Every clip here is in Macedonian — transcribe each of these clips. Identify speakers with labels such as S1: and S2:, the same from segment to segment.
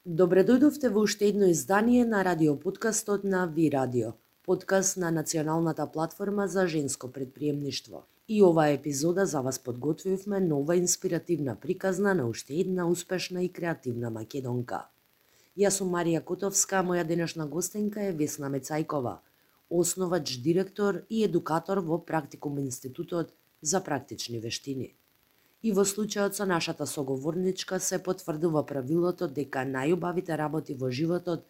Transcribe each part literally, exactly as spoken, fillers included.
S1: Добре дојдовте во уште едно издание на радиоподкастот на Ви Радио, подкаст на националната платформа за женско предприемништво. И оваа епизода за вас подготвивме нова инспиративна приказна на уште една успешна и креативна македонка. Јас сум Марија Котовска, моја денешна гостенка е Весна Мецајкова, основач, директор и едукатор во Практикум Институтот за практични вештини. И во случајот со нашата соговорничка се потврдува правилото дека најубавите работи во животот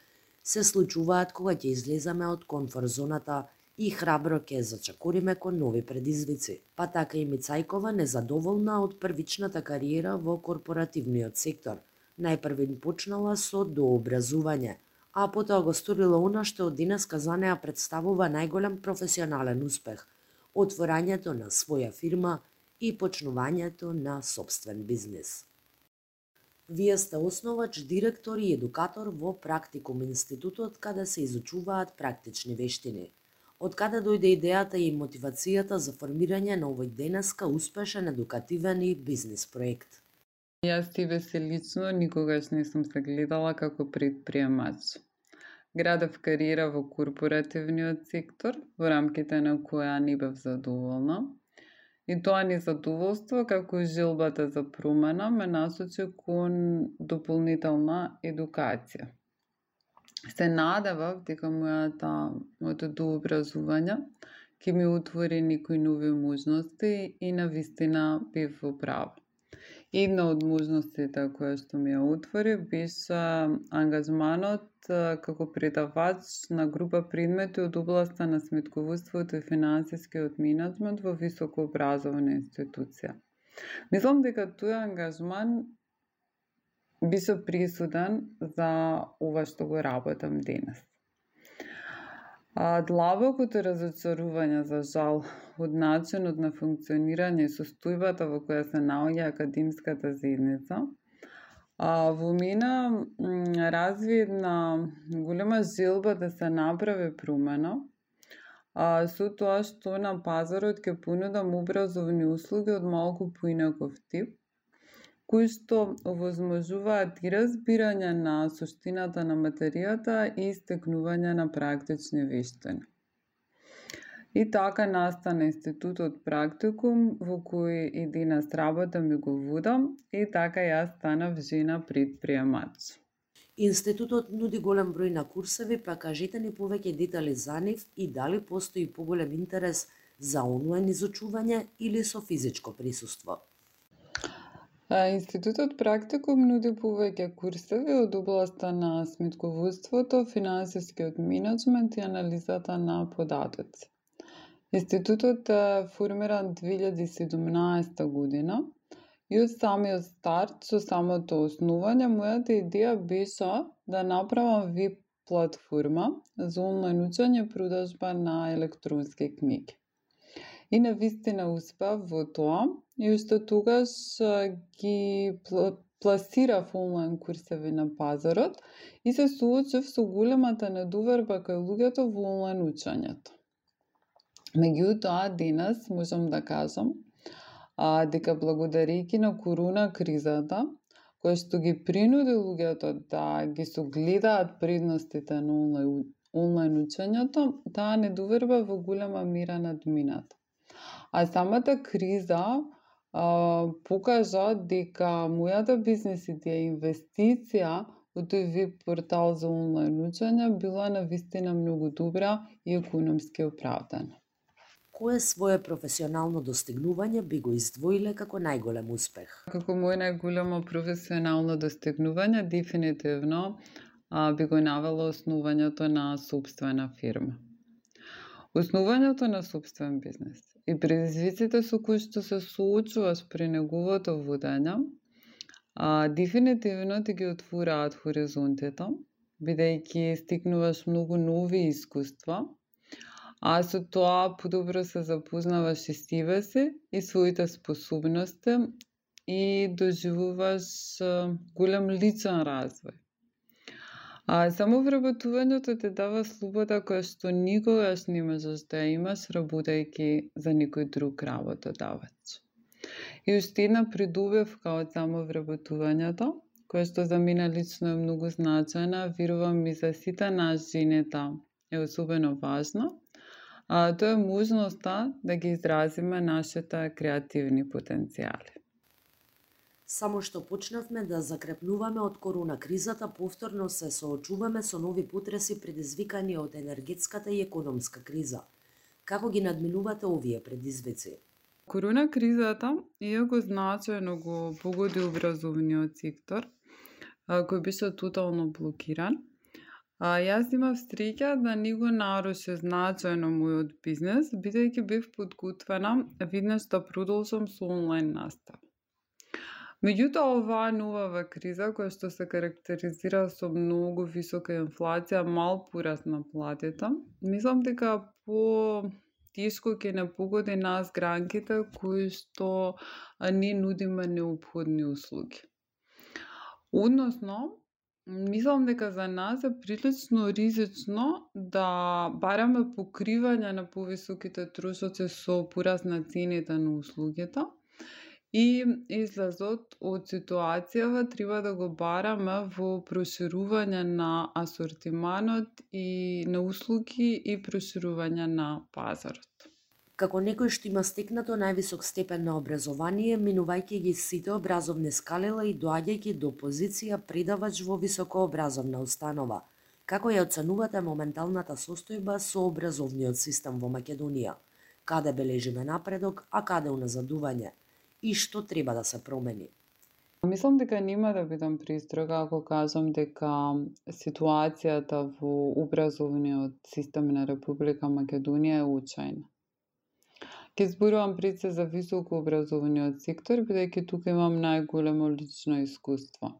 S1: се случуваат кога ќе излеземе од комфорт зоната и храбро ќе зачекориме кон нови предизвици. Па така и Мецајкова незадоволна од првичната кариера во корпоративниот сектор. Најпрвин почнала со дообразување, а потоа го сторила она што од денеска за неа представува најголем професионален успех – отворањето на своја фирма и почнувањето на сопствен бизнис. Вие сте основач, директор и едукатор во Практикум Институтот, каде се изучуваат практични вештини. Од каде дојде идејата и мотивацијата за формирање на овој денеска успешен, едукативен и бизнис проект?
S2: Јас тебе се лично никогаш не сум се гледала како предприемач. Градев кариера во корпоративниот сектор, во рамките на која не бев задоволна. И тоа незадоволство, како и желбата за промена, ме насочи кон дополнителна едукација. Се надевав дека мојата, моето дообразување ќе ми отвори некои нови можности и навистина бев во право. Една од можностите која што ми ја отвори беше ангажманот како предавач на група предмети од областа на сметководството и финансискиот менеджмент во високообразовна институција. Мислам дека тој ангажман беше пресуден за ова што го работам денес. Длабокото разочарување, за жал, од начинот на функционирање и состојбата во која се наоѓа академската заедница, во мене разви една голема желба да се направи промена, со тоа што на пазарот ќе понудам образовни услуги од малку поинаков тип, кои што овозможуваат и разбирање на суштината на материјата и стекнување на практични вештини. И така настана Институтот Практикум, во кој и денес работам и го водам, и така јас станав жена предприемач.
S1: Институтот нуди голем број на курсеви, па кажете ни повеќе детали за нив и дали постои поголем интерес за онлайн изучување или со физичко присуство.
S2: Институтот Практикум нуди повеќе курсеви од областа на сметководството, финансискиот менеджмент и анализата на податоци. Институтот е формиран две илјади и седумнаесета година и од самиот старт, со самото основање, мојата идеја беше да направам веб платформа за онлайн учење и продажба на електронски книги. И навистина успеав во тоа и уште тогаш ги пласирав онлайн курсеви на пазарот и се соочив со големата недоверба кај луѓето во онлайн учењето. Меѓутоа, денес можам да кажам а, дека благодарејќи на корона кризата, која што ги принуди луѓето да ги согледаат предностите на онлайн, онлайн учењето, таа недоверба во голема мера надмината. А самата криза а, покажа дека мојата бизнес идеја и инвестиција во тој веб портал за онлайн учење била навистина многу добра и економски оправдана.
S1: Кое свое професионално достигнување би го издвоиле како најголем успех?
S2: Како мој најголемо професионално достигнување, дефинитивно а, би го навела основањето на сопствена фирма. Основањето на сопствен бизнес и предизвиците со кои што се соочуваш при неговото водење, а, дефинитивно ти ги отвораат хоризонтите, бидејќи стекнуваш многу нови искуства, а со тоа подобро се запознаваш и себе си и своите способности и доживуваш голем личен развој. А само вработувањето те дава слобода која што никогаш не можеш да ја имаш работејќи за некој друг работодавач. И уште една придобивка од само вработувањето која што за мене лично е многу значајна, верувам и за сите нас жените е особено важна. А, тоа е можноста да ги изразиме нашите креативни потенцијали.
S1: Само што почнавме да закрепнуваме од корона кризата, повторно се соочуваме со нови потреси предизвикани од енергетската и економска криза. Како ги надминувате овие предизвици?
S2: Корона кризата, иако значајно го погоди образовниот сектор, кој беше тотално блокиран, а јас имав среќа да не го наруши значајно мојот бизнес, бидејќи бев подготвена веднаш да продолжам со онлайн настава. Меѓутоа, оваа нова криза, која што се карактеризира со многу висока инфлација, мал пораст на платите, мислам дека по тешко ќе не погоди нас гранките кои што не нудиме неопходни услуги. Односно, мислам дека за нас е прилично ризично да бараме покривање на повисоките трошоци со пораст на цените на услугите и излазот од ситуацијава треба да го бараме во проширување на асортиманот и на услуги и проширување на пазарот.
S1: Како некој што има стекнато највисок степен на образование, минувајќи ги сите образовни скалела и доаѓајќи до позиција предавач во високообразовна установа, како ја оценувате моменталната состојба со образовниот систем во Македонија? Каде бележиме напредок, а каде уназадување? И што треба да се промени?
S2: Мислам дека нема да бидам пристрога ако кажам дека ситуацијата во образовниот систем на Република Македонија е очајна. Ке зборувам пред се за високо образовниот сектор, бидејќи тука имам најголемо лично искуство.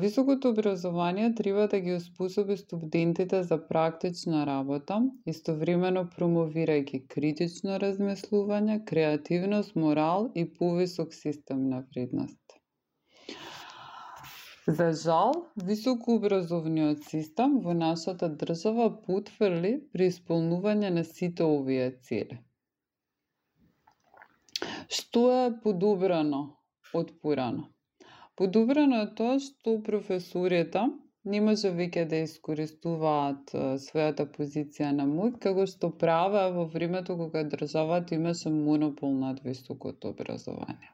S2: Високото образование треба да ги успособи студентите за практична работа, истовремено промовирајќи критично размислување, креативност, морал и повисок систем на вредности. За жал, високообразовниот систем во нашата држава потфрли при исполнување на сите овие цели. Што е подобрано од порано? Подобрано е тоа што професорите не може веќе да искористуваат својата позиција на моќ, како што правеа во времето кога државата имаше монопол над високото образование.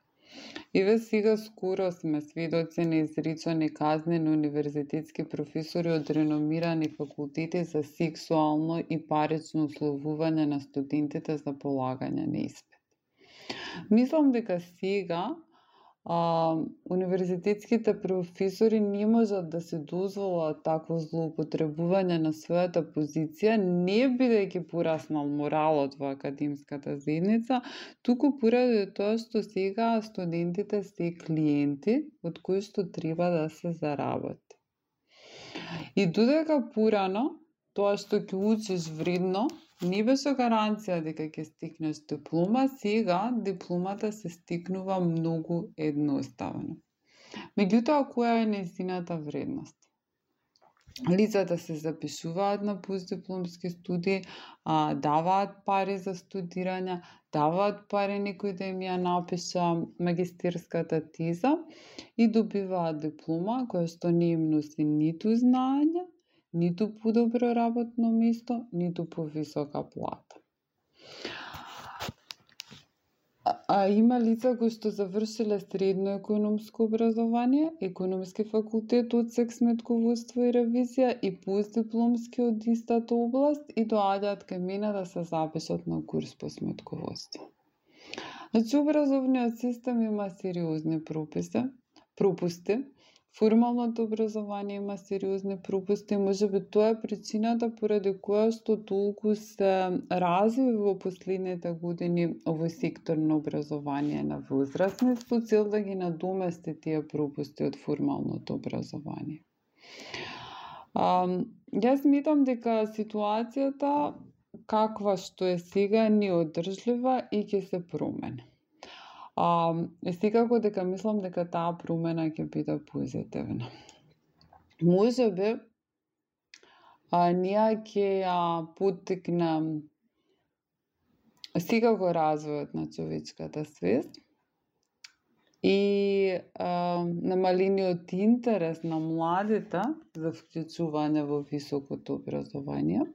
S2: Еве сега скоро сме сведоци на изречени казни на универзитетски професори од реномирани факултети за сексуално и парично условување на студентите за полагање на испит. Мислам дека сега а, универзитетските професори не можат да се дозволат такво злоупотребување на својата позиција, не бидејќи пораснал моралот во академската заедница, туку поради тоа што сега студентите се клиенти од кои што треба да се заработи. И додека порано тоа што ќе учиш вредно не беше гаранција дека ќе стекнеш диплома, сега дипломата се стекнува многу едноставно. Меѓутоа, која е нејзината вредност? Лицата се запишуваат на постдипломски студии, а, даваат пари за студирање, даваат пари некој да им ја напиша магистерската теза и добиваат диплома која што не им носи ниту знаење, ниту подобро работно место, ниту повисока плата. А, а има лица кои што завршиле средно економско образование, економски факултет од сек сметководство и ревизија и постдипломски од истата област и доаѓаат кај мене да се запишат на курс по сметководство. Значи, образовниот систем има сериозни прописи, пропусти, формалното образование има сериозни пропусти, можеби тоа е причината поради која што толку се разви во последните години овој сектор на образование на возрастни, со цел да ги надомести тие пропусти од формалното образование. А, јас сметам дека ситуацијата каква што е сега е неодржлива и ќе се промени. А, секако дека мислам дека таа промена ќе биде позитивна. Може би, а, ние ќе ја поттикне секако развојот на човечката свест, и а, намалениот интерес на младите за вклучување во високото образование.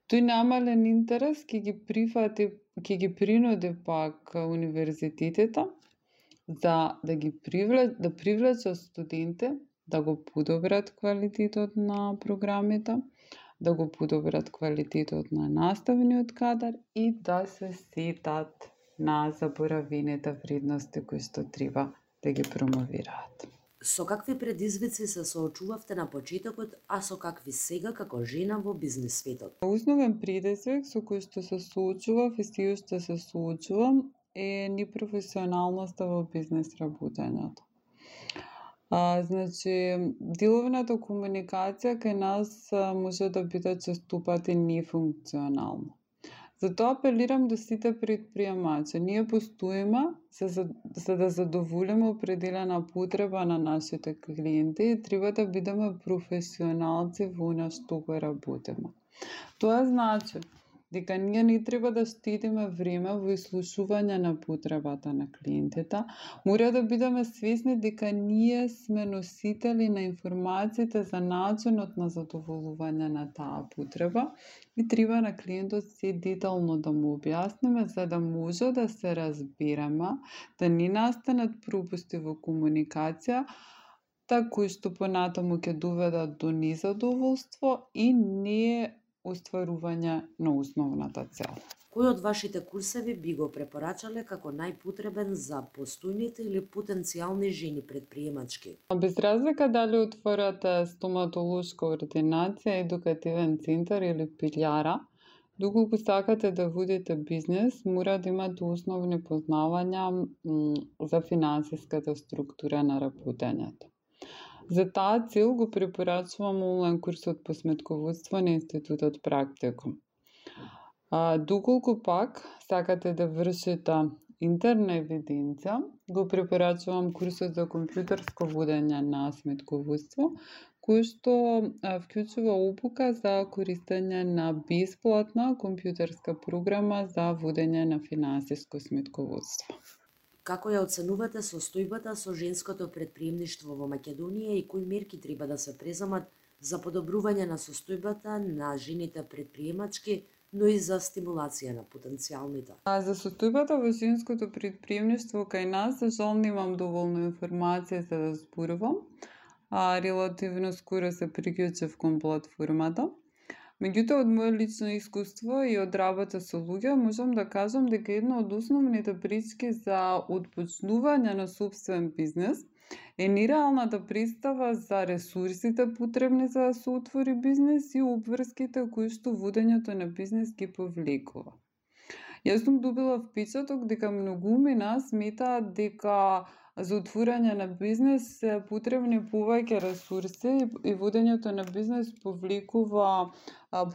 S2: Тој намален интерес ќе ги прифати, ќе ги принуди пак универзитетите за да ги привлечат, да привлечат студенти, да го подобрат квалитетот на програмите, да го подобрат квалитетот на наставниот кадар и да се сетат на заборавените вредности кои што треба да ги промовираат.
S1: Со какви предизвици се соочувавте на почетокот, а со какви сега како жена во бизнес светот?
S2: Основен предизвик со кој што се соочував и се уште се соочувам е непрофесионалноста во бизнес работењето. А, значи, деловната комуникација кај нас а, може да биде честопати нефункционална. Затоа апелирам до сите предприемачи. Ние постоиме за, за, за да задоволиме определена потреба на нашите клиенти и треба да бидеме професионалци во она што го работиме. Тоа значи дека ние не треба да штедиме време во изслушување на потребата на клиентите, мора да бидеме свесни дека ние сме носители на информациите за начинот на задоволување на таа потреба и треба на клиентот се детално да му објасниме за да може да се разбереме, да не настанат пропусти во комуникација, кои што понатаму ќе доведат до незадоволство и не остварување на основната цел.
S1: Кој од вашите курсеви би го препорачале како најпотребен за постојните или потенцијални жени предприемачки?
S2: Без разлика дали отворате стоматолошка ординација, едукативен центар или пилјара, доколку сакате да водите бизнес, мора да имате основни познавања за финансиската структура на работењето. За таа цел го препорачувам онлайн курсот по сметководство на Институтот Практикум. А, доколку пак сакате да вршите интерна евиденција, го препорачувам курсот за компјутерско водење на сметководство, кој што а, вклучува обука за користење на бесплатна компјутерска програма за водење на финансиско сметководство.
S1: Како ја оценувате состојбата со женското предприемништво во Македонија и кои мерки треба да се преземат за подобрување на состојбата на жените предприемачки, но и за стимулација на потенцијалните?
S2: А за состојбата во женското предприемништво кај нас, за жал немам доволно информација за да зборувам, а релативно скоро се приклучив кон платформата. Меѓутоа, од моје лично искуство и од работа со луѓе, можам да кажам дека една од основните пречки за отпочнување на собствен бизнес е нереалната представа за ресурсите потребни за да се отвори бизнес и обврските кои што водењето на бизнес ги повлекува. Јас сум добила впечаток дека многумина сметаат дека за отворање на бизнес се потребни повеќе ресурси и водењето на бизнес повлекува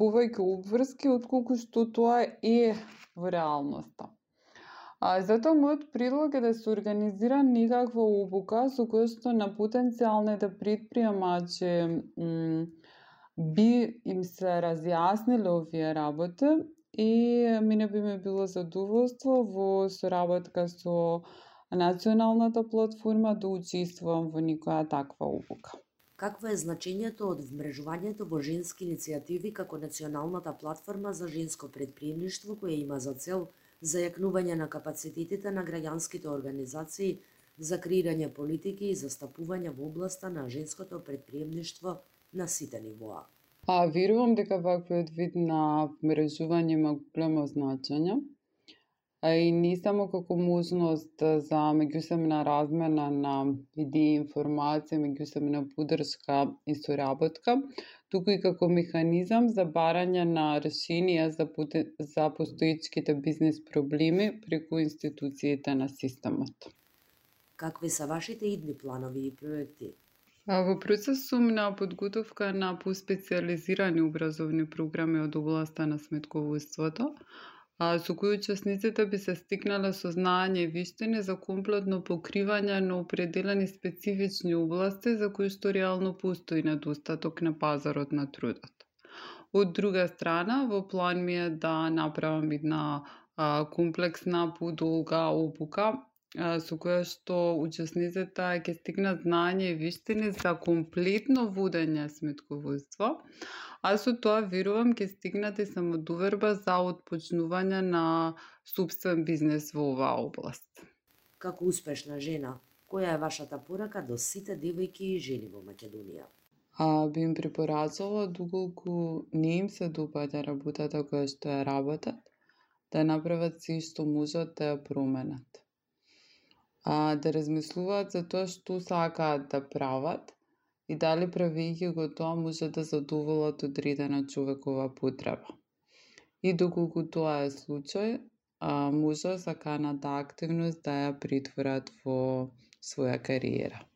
S2: повеќе обврски отколку што тоа е во реалноста. А, затоа мојот предлог е да се организира некаква обука со која што на потенцијалните предприемачи би им се разјасниле овие работи и мене би ме било задоволство во соработка со националната платформа да учествувам во некоја таква обука.
S1: Какво е значењето од вмрежувањето во женски иницијативи како националната платформа за женско предприемништво која има за цел зајакнување на капацитетите на граѓанските организации за креирање политики и застапување во областа на женското предприемништво на сите нивоа?
S2: А, верувам дека ваквиот вид на вмрежување има големо значење, а и не само како можност за меѓусебна размена на идеи, информации, меѓусебна поддршка и соработка, туку и како механизам за барање на решенија за, за постоечките бизнес проблеми преку институциите на системот.
S1: Какви се вашите идни планови и проекти?
S2: А, во процес сум на подготовка на поспециализирани образовни програми од областа на сметководството, а, со кои учесниците би се стикнале со знаење и виштини за комплетно покривање на определени специфични области за кои што реално постои недостаток на пазарот на трудот. Од друга страна, во план ми е да направам една а, комплексна, подолга обука со која што учесниците ќе стигнат знање и виштини за комплетно водење сметководство, а со тоа верувам ќе стигнат и самодоверба за отпочнување на сопствен бизнес во оваа област.
S1: Како успешна жена, која е вашата порака до сите девојки и жени во Македонија?
S2: А, би им препорачала, доколку не им се допаѓа работата која што ја работат, да ја направат се што можат да ја променат. А, да размислуваат за тоа што сакаат да прават и дали правејќи го тоа може да задоволат одредена човекова потреба. И доколку тоа е случај, а, може саканата активност да ја претворат во своја кариера.